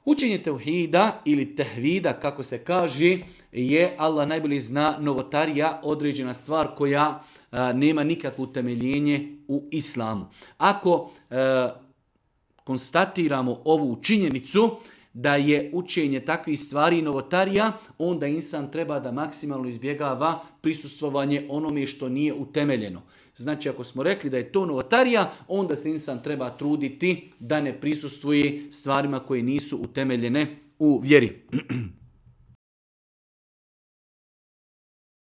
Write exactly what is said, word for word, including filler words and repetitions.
Učenje tevhida ili tehvida, kako se kaže, je, Allah najbolje zna, novotarija, određena stvar koja a, nema nikakvo utemeljenje u islamu. Ako a, konstatiramo ovu činjenicu da je učenje takvih stvari novotarija, onda insan treba da maksimalno izbjegava prisustvovanje onome što nije utemeljeno. Znači, ako smo rekli da je to novotarija, onda se insan treba truditi da ne prisustvuje stvarima koje nisu utemeljene u vjeri.